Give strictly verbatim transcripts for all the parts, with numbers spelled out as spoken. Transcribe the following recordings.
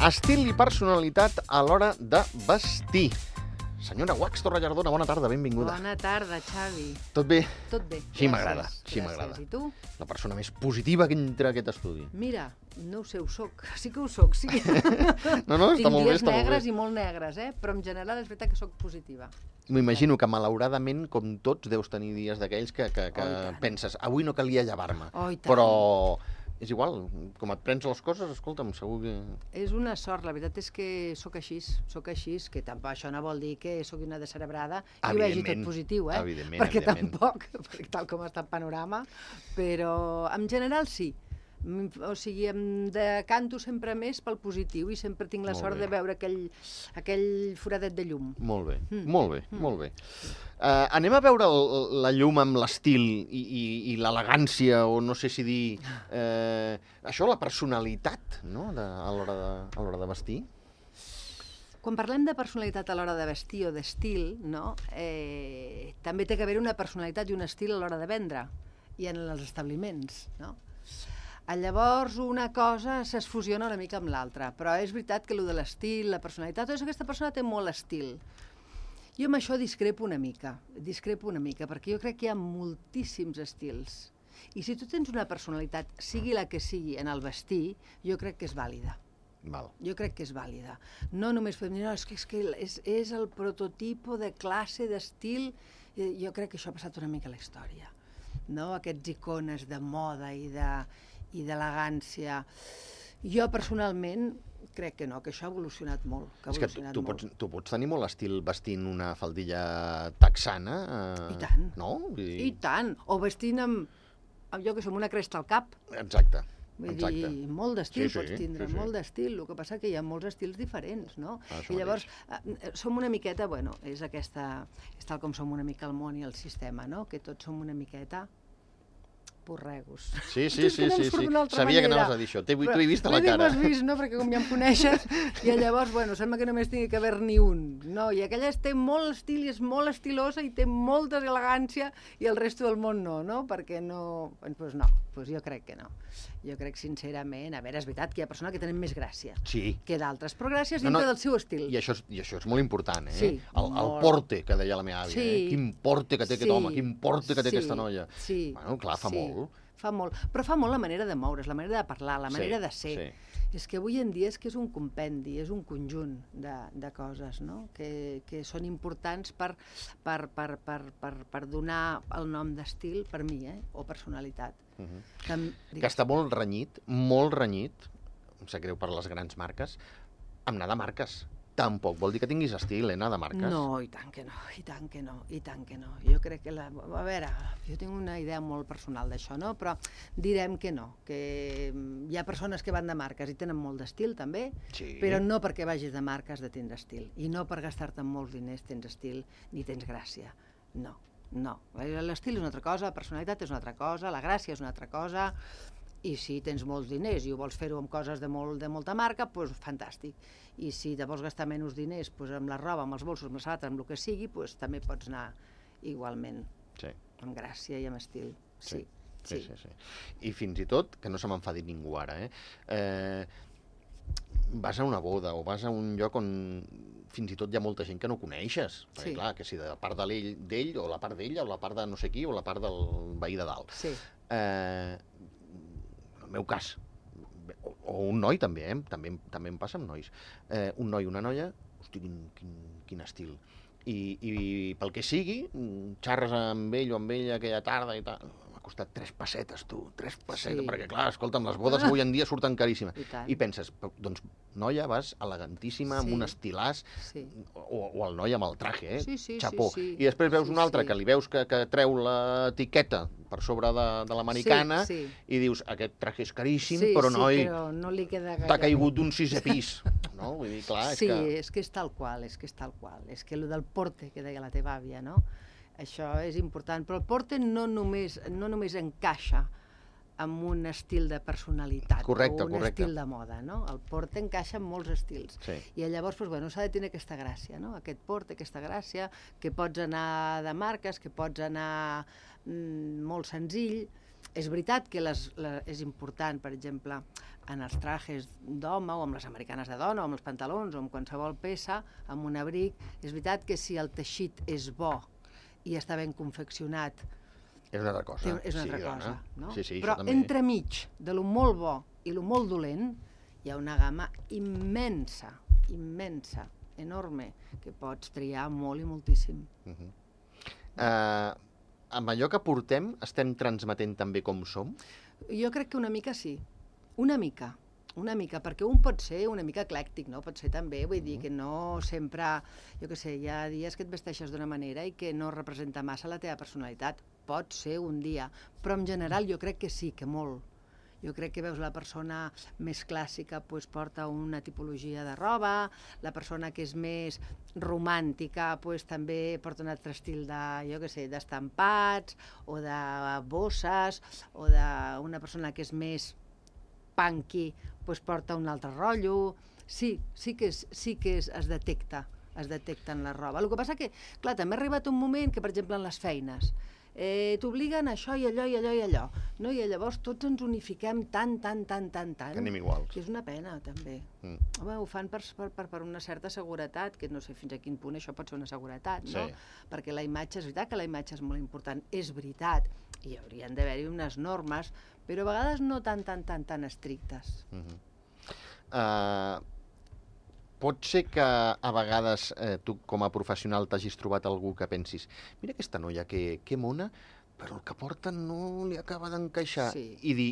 Estil i personalitat a l'hora de vestir. Senyora Guax Torrellardona, bona tarda, benvinguda. Bona tarda, Xavi. Tot bé? Tot bé. Així m'agrada, així m'agrada. I tu? La persona més positiva que entra a aquest estudi. Mira, no ho sé, ho soc. Sí que ho soc, sí. No, no, està molt bé, està molt bé. Tinc dies negres i molt negres, eh? Però en general és veritat que soc positiva. M'imagino que, malauradament, com tots, deus tenir dies d'aquells que, que, que Oh, penses, avui no calia llevar-me. Oh, i tant. Però és igual, com et prens les coses, escolta'm, segur que... És una sort, la veritat és que sóc així, sóc així, que tampoc això no vol dir que sóc una descerebrada i ho vegi tot positiu, eh? Evidentment, perquè evidentment. tampoc, perquè tal com està el panorama, però en general sí. O sigui, em decanto sempre més pel positiu i sempre tinc la Molt sort bé. de veure aquell, aquell foradet de llum. Molt bé, Mm. molt bé, Mm. molt bé. Uh, anem a veure el, la llum amb l'estil i, i, i l'elegància, o no sé si dir... Uh, això, la personalitat, no?, de, a l'hora de, a l'hora de vestir. Quan parlem de personalitat a l'hora de vestir o d'estil, no? eh, també té que haver una personalitat i un estil a l'hora de vendre i en els establiments, no? Llavors, una cosa es fusiona una mica amb l'altra, però és veritat que allò de l'estil, la personalitat, tot això, aquesta persona té molt estil. Jo amb això discrepo una mica, discrepo una mica, perquè jo crec que hi ha moltíssims estils. I si tu tens una personalitat, sigui la que sigui, en el vestir, jo crec que és vàlida. Val. Jo crec que és vàlida. No només podem dir, no, és que, és, que és, és el prototipo de classe, d'estil. Eh, Jo crec que això ha passat una mica a la història. No? Aquests icones de moda i de i d'elegància. Jo, personalment, crec que no, que això ha evolucionat molt. Que ha És que tu, evolucionat tu, molt. pots, tu pots tenir molt estil vestint una faldilla texana. Eh, I tant. No? Vull dir... I tant. O vestint amb, amb jo que som una cresta al cap. Exacte. Vull Exacte. dir, molt d'estil Sí, sí, pots tindre, sí, sí. molt d'estil. El que passa que hi ha molts estils diferents, no? Això I llavors, eh, som una miqueta, bueno, és aquesta, és tal com som una mica el món i el sistema, no? Que tots som una miqueta porregos. Sí, sí, És que sí, no em sí, surt sí. d'una altra Sabia que manera. anaves a dir això. T'he Però t'ho he vist a la l'he dit, cara. Ho has vist, no? Perquè com ja em coneixes, i llavors, bueno, sembla que només tingui que haver-n'hi un. No, i aquella té molt estil i és molt estilosa i té molta elegància i el resto del món no, no? Perquè no... Doncs pues no, pues jo crec que no. Jo crec sincerament, a veure, és veritat que hi ha persones que tenen més gràcia Sí. que d'altres, però gràcies No, dintre no, del seu estil. I això, és, I això és molt important, eh? Sí, el, el molt. porte, que deia la meva àvia. Sí. Eh? Quin porte que té aquest Sí. home, quin porte que té Sí. aquesta noia. Sí. Bueno, clar, fa Sí. molt. Fa molt, però fa molt la manera de moure's, la manera de parlar, la manera Sí, de ser. sí. És que avui en dia és que és un compendi, és un conjunt de, de coses, no? que, que són importants per, per, per, per, per, per donar el nom d'estil, per mi, eh? O personalitat. Uh -huh. Tam, Que està molt renyit, molt renyit, em sap greu per les grans marques, amb anar de marques. Tampoc vol dir que tinguis estil, eh, anar de marques. No, i tant que no, i tant que no, i tant que no. Jo crec que, la, a veure, jo tinc una idea molt personal d'això, no? Però direm que no, que hi ha persones que van de marques i tenen molt d'estil també, Sí. però no perquè vagis de marques de tindre estil, i no per gastar-te molts diners tens estil ni tens gràcia. No, no. L'estil és una altra cosa, la personalitat és una altra cosa, la gràcia és una altra cosa, i si tens molts diners i ho vols fer-ho amb coses de, molt, de molta marca, doncs fantàstic. I si te vols gastar menys diners doncs amb la roba, amb els bolsos, amb la sabata, amb el que sigui, doncs també pots anar igualment Sí. amb gràcia i amb estil. Sí, Sí, sí. sí, sí. I fins i tot, que no se m'enfadi ningú ara, eh? eh? Vas a una boda o vas a un lloc on fins i tot hi ha molta gent que no coneixes. Perquè, Sí. clar, que si de la part de l'ell, d'ell, o la part d'ella, o la part de no sé qui, o la part del veí de dalt. Sí. Eh, en el meu cas, o, o un noi també, eh? també, també em passa amb nois. Eh, un noi i una noia, hosti, quin, quin, quin estil. I, I pel que sigui, xarres amb ell o amb ella aquella tarda i tal, m'ha costat tres pessetes, tu, tres pessetes, Sí. perquè clar, escolta'm, les bodes avui en dia surten caríssimes. I tant. I penses, però, doncs, noia, vas elegantíssima, amb Sí. un estilàs, Sí. o, o el noi amb el traje, eh? Sí, sí, Xapó. sí, sí. I després veus Sí, un altre sí. que li veus que, que treu l'etiqueta per sobre de, de l'americana, Sí, sí. i dius, aquest traje és caríssim, Sí, però sí, noi, però no li queda gaire t'ha bé. caigut d'un sisè pis. No? Vull dir, clar, és Sí, que... és que és tal qual, és que és tal qual. És que el del porte, que deia la teva àvia, no? Això és important. Però el porte no només, no només encaixa amb un estil de personalitat Correcte, o un correcte. estil de moda, no? El porte encaixa en molts estils. Sí. I llavors, doncs, bueno, s'ha de tenir aquesta gràcia, no? Aquest porte, aquesta gràcia, que pots anar de marques, que pots anar mm, molt senzill, És veritat que les, la, és important, per exemple, en els trajes d'home o amb les americanes de dona o amb els pantalons o amb qualsevol peça, amb un abric, és veritat que si el teixit és bo i està ben confeccionat, és una altra cosa. és una altra sí, cosa, no? Sí, sí, però entremig de lo molt bo i lo molt dolent hi ha una gamma immensa, immensa, enorme, que pots triar molt i moltíssim. Uh -huh. uh, amb allò que portem estem transmetent també com som? Jo crec que una mica sí, una mica, una mica, perquè un pot ser una mica eclèctic, no? Pot ser també, vull dir, que no sempre, jo què sé, hi ha dies que et vesteixes d'una manera i que no representa massa la teva personalitat. Pot ser un dia, però en general jo crec que sí, que molt. Jo crec que veus la persona més clàssica pues, porta una tipologia de roba, la persona que és més romàntica pues, també porta un altre estil de, jo què sé, d'estampats o de bosses, o d'una persona que és més punky pues, porta un altre rotllo. Sí, sí que, és, sí que és, es detecta, es detecta en la roba. El que passa que, clar, també ha arribat un moment que, per exemple, en les feines, Eh, t'obliguen a això i allò i allò i allò, no? I llavors tots ens unifiquem tant, tant, tant, tant, tant, que anem iguals. que és una pena, també. Mm. Home, ho fan per, per, per una certa seguretat, que no sé fins a quin punt això pot ser una seguretat, no? Sí. Perquè la imatge, és veritat que la imatge és molt important, és veritat, i haurien d'haver-hi unes normes, però a vegades no tan, tan, tan, tan estrictes. Uh -huh. uh... Pot ser que a vegades eh, tu com a professional t'hagis trobat algú que pensis mira aquesta noia, que, que mona, però el que porta no li acaba d'encaixar. Sí. I dir,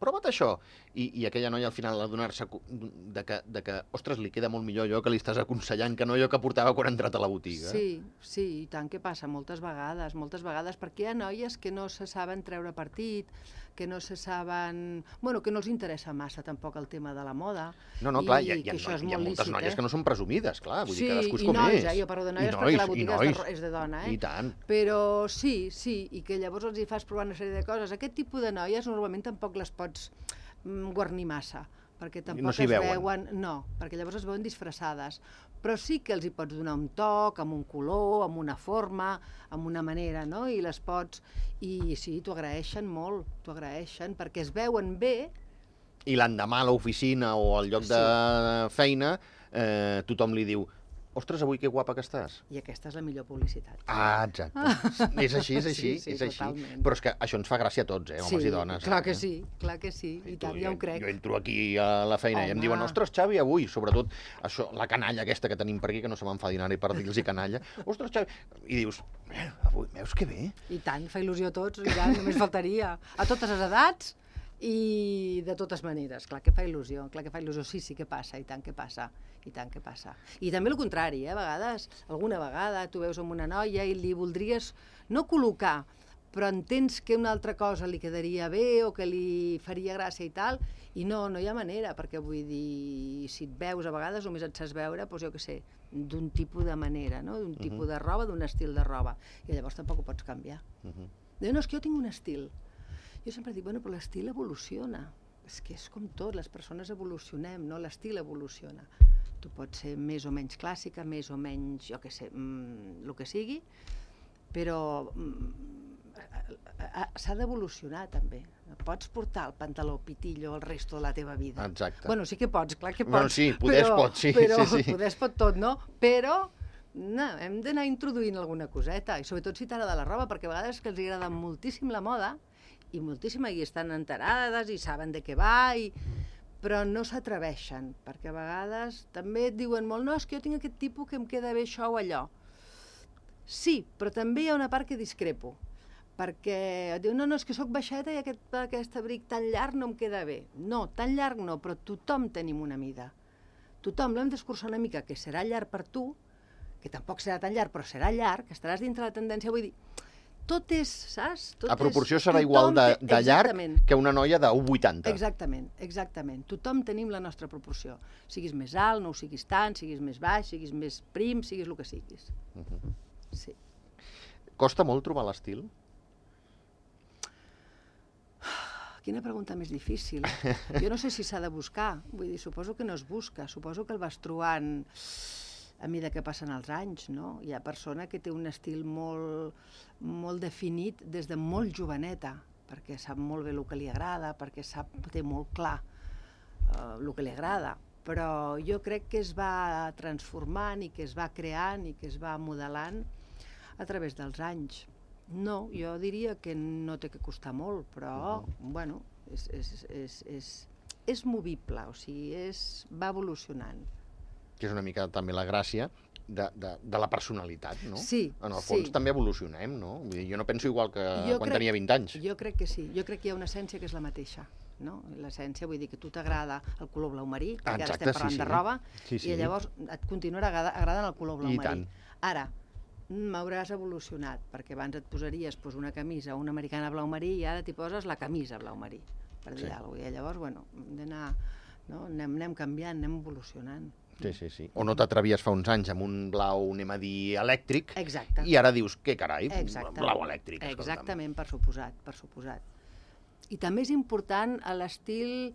prova't això. I, i aquella noia al final adonar-se de que, de que, ostres, li queda molt millor allò que li estàs aconsellant que no allò que portava quan ha entrat a la botiga. Sí, sí, i tant que passa, moltes vegades, moltes vegades, perquè hi ha noies que no se saben treure partit, que no se saben... Bueno, que no els interessa massa tampoc el tema de la moda. No, no, clar, i, hi ha, hi ha, que això és hi ha molt moltes lícit, noies eh? que no són presumides, clar, vull sí, dir, cadascú és i com nois, és. Eh? Jo parlo de noies I perquè nois, la botiga és de, és de dona, eh? I tant. Però sí, sí, i que llavors els hi fas provar una sèrie de coses. Aquest tipus de noies normalment tampoc les pots mm, guarnir massa, perquè tampoc no es veuen. veuen... No, perquè llavors es veuen disfressades. Però sí que els hi pots donar un toc, amb un color, amb una forma, amb una manera, no? I les pots... I sí, t'ho agraeixen molt, t'ho agraeixen, perquè es veuen bé. I l'endemà a l'oficina o al lloc Sí. de feina eh, tothom li diu ostres, avui que guapa que estàs. I aquesta és la millor publicitat. Ah, exacte. És així, és així, sí, sí, és així. totalment. Però és que això ens fa gràcia a tots, eh, homes sí, i dones. clar eh? que sí, clar que sí, i, I tant, tu, ja ho jo, crec. Jo entro aquí a la feina Home. i em diuen, ostres, Xavi, avui, sobretot, això, la canalla aquesta que tenim per aquí, que no se m'enfadin ara i per dir-los canalla, ostres, Xavi, i dius, avui, veus que bé? I tant, fa il·lusió a tots, i tant, només faltaria. A totes les edats i de totes maneres. Clar que fa il·lusió, clar que fa il·lusió. Sí, sí que passa, i tant que passa, i tant que passa. I també el contrari, eh? A vegades, alguna vegada, tu veus amb una noia i li voldries no col·locar, però entens que una altra cosa li quedaria bé o que li faria gràcia i tal, i no, no hi ha manera, perquè vull dir, si et veus a vegades només et saps veure, doncs jo què sé, d'un tipus de manera, no? D'un tipus de roba, d'un estil de roba, i llavors tampoc ho pots canviar. Uh -huh. Diu, no, és que jo tinc un estil. Jo sempre dic, bueno, però l'estil evoluciona. És que és com tot, les persones evolucionem, no? L'estil evoluciona. Tu pots ser més o menys clàssica, més o menys, jo què sé, mmm, el que sigui, però mm, s'ha d'evolucionar també. Pots portar el pantaló pitillo el resto de la teva vida. Exacte. Bueno, sí que pots, clar que pots. Bueno, sí, poder es pot, sí. Però, sí, sí. poder es pot tot, no? Però no, hem d'anar introduint alguna coseta, i sobretot si t'agrada la roba, perquè a vegades que els agrada moltíssim la moda, i moltíssima, i estan enterades, i saben de què va, i... però no s'atreveixen, perquè a vegades també et diuen molt, no, és que jo tinc aquest tipus que em queda bé això o allò. Sí, però també hi ha una part que discrepo, perquè et diu, no, no, és que sóc baixeta i aquest, aquest abric tan llarg no em queda bé. No, tan llarg no, però tothom tenim una mida. Tothom l'hem d'escurçar una mica, que serà llarg per tu, que tampoc serà tan llarg, però serà llarg, que estaràs dintre la tendència, vull dir, tot és, saps? Tot a proporció és, serà igual de, té, de llarg que una noia d'un vuitanta. Exactament, exactament. Tothom tenim la nostra proporció. Siguis més alt, no ho siguis tant, siguis més baix, siguis més prim, siguis el que siguis. Uh -huh. Sí. Costa molt trobar l'estil? Quina pregunta més difícil. Jo no sé si s'ha de buscar. Vull dir, suposo que no es busca. Suposo que el vas trobant a mesura que passen els anys, no? Hi ha persona que té un estil molt, molt definit des de molt joveneta, perquè sap molt bé el que li agrada, perquè sap, té molt clar eh, el que li agrada, però jo crec que es va transformant i que es va creant i que es va modelant a través dels anys. No, jo diria que no té que costar molt, però, uh-huh. bueno, és, és, és, és, és movible, o sigui, és, va evolucionant. Que és una mica també la gràcia de, de, de la personalitat, no? Sí, en el fons sí. també evolucionem, no? Vull dir, jo no penso igual que jo quan crec, tenia vint anys. Jo crec que sí, jo crec que hi ha una essència que és la mateixa, no? L'essència, vull dir que a tu t'agrada el color blau marí, ah, perquè exacte, ara estem parlant sí, sí. de roba, sí, sí. i llavors et continuarà agradant el color blau I marí. tant. Ara, m'hauràs evolucionat, perquè abans et posaries pues, una camisa o una americana blau marí i ara t'hi poses la camisa blau marí, per dir sí. alguna cosa. I llavors, bueno, hem d'anar, no? anem, anem canviant, anem evolucionant. Sí, sí, sí. O no t'atrevies fa uns anys amb un blau, anem a dir, elèctric, Exacte. i ara dius, què carai, Exacte. blau elèctric. Escolta'm. Exactament, per suposat, per suposat. I també és important l'estil,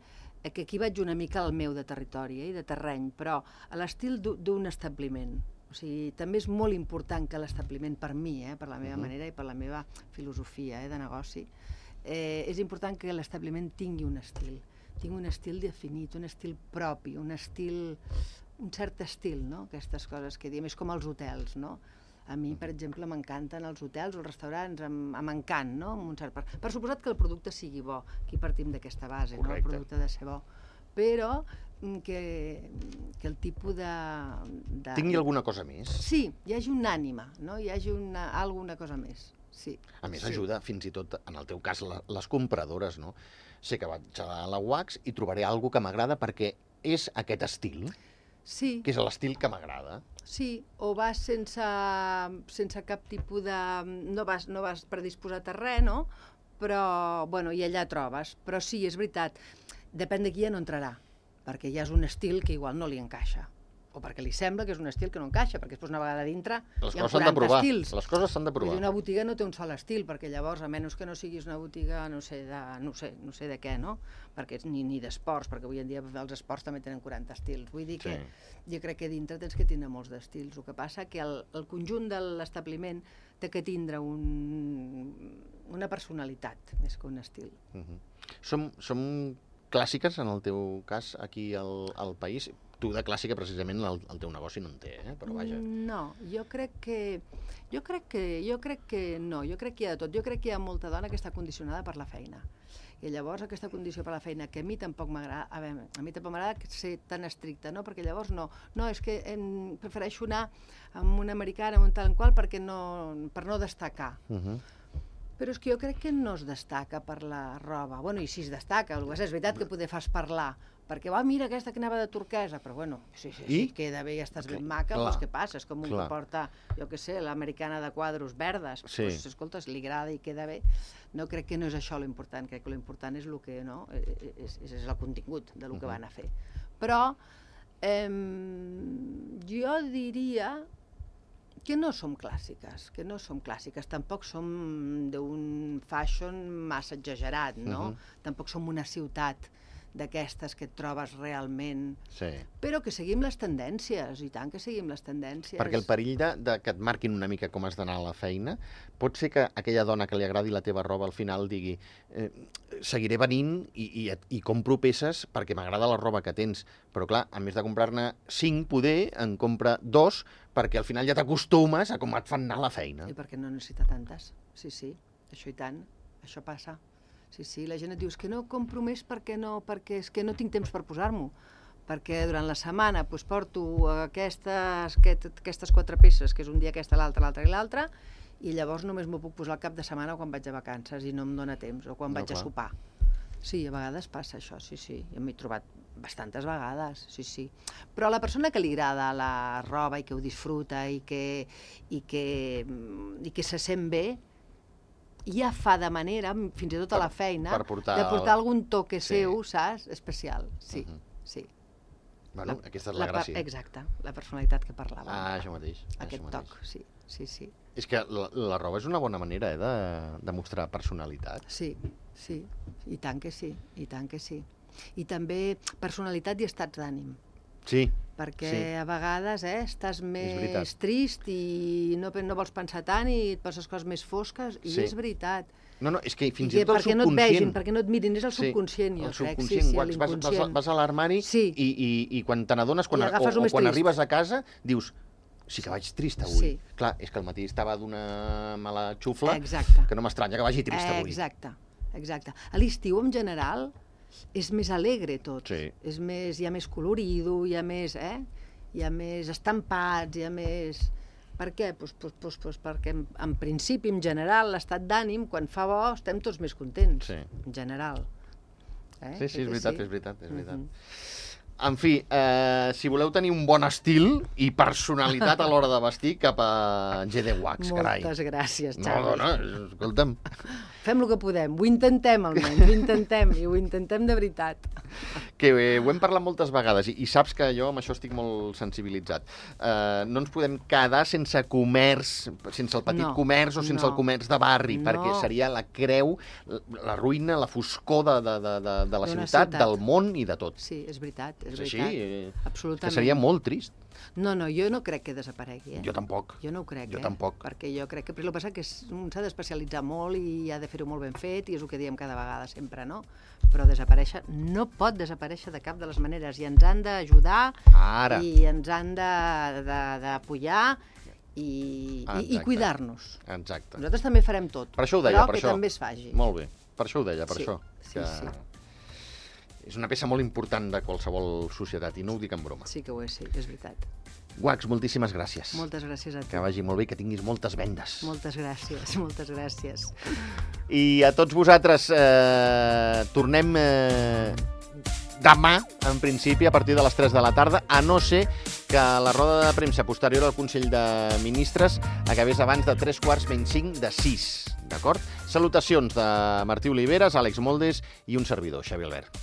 que aquí vaig una mica al meu de territori eh, i de terreny, però l'estil d'un establiment. O sigui, també és molt important que l'establiment, per mi, eh, per la meva uh-huh. manera i per la meva filosofia eh, de negoci, eh, és important que l'establiment tingui un estil. Tingui un estil definit, un estil propi, un estil, un cert estil, no? Aquestes coses que diem, és com els hotels, no? A mi, per exemple, m'encanten els hotels o els restaurants amb, amb encant, no? Amb un cert per... per suposat que el producte sigui bo, aquí partim d'aquesta base, no? El producte ha de ser bo, però que, que el tipus de, de... Tingui alguna cosa més. Sí, hi hagi una ànima, no? Hi hagi una, alguna cosa més, sí. A més, sí. ajuda fins i tot, en el teu cas, la, les compradores, no? Sé que vaig a la Wax i trobaré alguna que m'agrada perquè és aquest estil, sí. que és l'estil que m'agrada. Sí, o vas sense, sense cap tipus de... No vas, no vas predisposat a res, no? Però, bueno, i allà trobes. Però sí, és veritat, depèn de qui ja no entrarà, perquè ja és un estil que igual no li encaixa. O perquè li sembla que és un estil que no encaixa, perquè després una vegada dintre les hi ha quaranta estils. Les coses s'han de provar. Una botiga no té un sol estil, perquè llavors, a menys que no siguis una botiga, no sé de, no sé, no sé de què, no? Perquè ni, ni d'esports, perquè avui en dia els esports també tenen quaranta estils. Vull dir que sí. Jo crec que dintre tens que tindre molts d'estils. El que passa que el, el conjunt de l'establiment té que tindre un, una personalitat més que un estil. Uh-huh. Som, som clàssiques, en el teu cas, aquí al, al país? Tu de clàssica, precisament, el, el teu negoci no en té, eh? Però vaja. No, jo crec que... Jo crec que, jo crec que no, jo crec que hi ha de tot. Jo crec que hi ha molta dona que està condicionada per la feina. I llavors aquesta condició per la feina, que a mi tampoc m'agrada, a, veure, a mi tampoc m'agrada ser tan estricta, no? Perquè llavors no, no, és que em, prefereixo anar amb una americana, amb un tal qual, perquè no, per no destacar. Uh-huh. Però és que jo crec que no es destaca per la roba. Bueno, i si es destaca, és veritat que poder fas parlar, perquè, va, mira aquesta que anava de turquesa, però bueno, sí, sí, sí, queda bé, ja estàs ben maca, doncs què passa? És com un que porta, jo què sé, l'americana de quadros verdes, sí. Pues, escolta, li agrada i queda bé. No crec que no és això l'important, crec que l'important és el que, no, és, és el contingut del que van a fer. Però eh, jo diria que no som clàssiques, que no som clàssiques, tampoc som d'un fashion massa exagerat, no? Uh-huh. Tampoc som una ciutat d'aquestes que et trobes realment, sí. Però que seguim les tendències, i tant que seguim les tendències. Perquè el perill de, de que et marquin una mica com has d'anar a la feina, pot ser que aquella dona que li agradi la teva roba al final digui eh, seguiré venint i, i, i compro peces perquè m'agrada la roba que tens, però clar, a més de comprar-ne cinc, poder en compra dos, perquè al final ja t'acostumes a com et fan anar a la feina. I perquè no necessita tantes, sí, sí, això i tant, això passa. Sí, sí, la gent et diu, és que no compro més perquè no, perquè és que no tinc temps per posar-m'ho, perquè durant la setmana doncs, porto aquestes, aquest, aquestes quatre peces, que és un dia aquesta, l'altra, l'altra i l'altra, i llavors només m'ho puc posar al cap de setmana quan vaig a vacances i no em dóna temps, o quan no, vaig clar. a sopar. Sí, a vegades passa això, sí, sí, jo m'he trobat bastantes vegades, sí, sí. Però a la persona que li agrada la roba i que ho disfruta i que, i que, i que se sent bé, ja fa de manera, fins i tot a la feina, per portar de portar algun toque sí. seu, saps? Especial, sí, uh-huh. sí. Bueno, la, aquesta és la, la gràcia. Exacte, la personalitat que parlàvem. Ah, això mateix. Aquest això toc, mateix. sí, sí, sí. És que la, la roba és una bona manera eh, de, de mostrar personalitat. Sí, sí, i tant que sí, i tant que sí. I també personalitat i estats d'ànim. Sí, perquè Sí. a vegades eh, estàs veritat. més trist i no, no vols pensar tant i et poses coses més fosques, i Sí. és veritat. No, no, és que fins I i tot el perquè no et subconscient... vegin, perquè no et mirin, és el Sí, subconscient, jo el crec. subconscient. Sí, sí, Vas, vas, vas, l'inconscient. vas a l'armari Sí. i, i, i quan te n'adones, quan, I o, agafes el o més quan trist. arribes a casa, dius, sí que vaig trist avui. Sí. Clar, és que al matí estava d'una mala xufla, Exacte. que no m'estranya que vagi trist avui. Exacte, exacte. A l'estiu, en general, és més alegre tot. Sí. És més, hi ha més colorido, hi ha més, eh? Hi ha més estampats, hi ha més... Per què? Pues, pues, pues, pues perquè, en, en principi, en general, l'estat d'ànim, quan fa bo, estem tots més contents. Sí. En general. Eh? Sí, sí, és Que veritat, és veritat, és veritat. Mhm. En fi, eh, si voleu tenir un bon estil i personalitat a l'hora de vestir, cap a G D Wax, carai. Moltes gràcies, No, Xavi. dona, escolta'm. Fem el que podem, ho intentem almenys, ho intentem, i ho intentem de veritat. Que eh, ho hem parlat moltes vegades i, i saps que jo amb això estic molt sensibilitzat. Eh, no ens podem quedar sense comerç, sense el petit No, comerç o sense no. el comerç de barri, No. perquè seria la creu, la, la ruïna, la foscor de, de, de, de, de la D'una ciutat, ciutat. del món i de tot. Sí, és veritat, és, És així, veritat. eh, Absolutament. que seria molt trist. No, no, jo no crec que desaparegui, eh? Jo tampoc. Jo no ho crec, Jo eh? tampoc. Perquè jo crec que... Però el que passa que és, un s'ha d'especialitzar molt i ha de fer-ho molt ben fet, i és el que diem cada vegada sempre, no? Però desaparèixer no pot desaparèixer de cap de les maneres, i ens han d'ajudar Ara. i ens han d'apoyar i, i, i Exacte. cuidar-nos. Exacte. Nosaltres també farem tot, Per això ho deia, però per que això. també es faci. Molt bé. Per això ho deia, per Sí, això. sí, que sí. És una peça molt important de qualsevol societat, i no ho dic en broma. Sí que ho és, sí, és veritat. Wax, moltíssimes gràcies. Moltes gràcies a tu. Que vagi molt bé i que tinguis moltes vendes. Moltes gràcies, moltes gràcies. I a tots vosaltres, eh, tornem eh, demà, en principi, a partir de les tres de la tarda, a no ser que la roda de premsa posterior al Consell de Ministres acabés abans de tres quarts menys cinc de sis, d'acord? Salutacions de Martí Oliveres, Àlex Moldes i un servidor, Xavi Albert.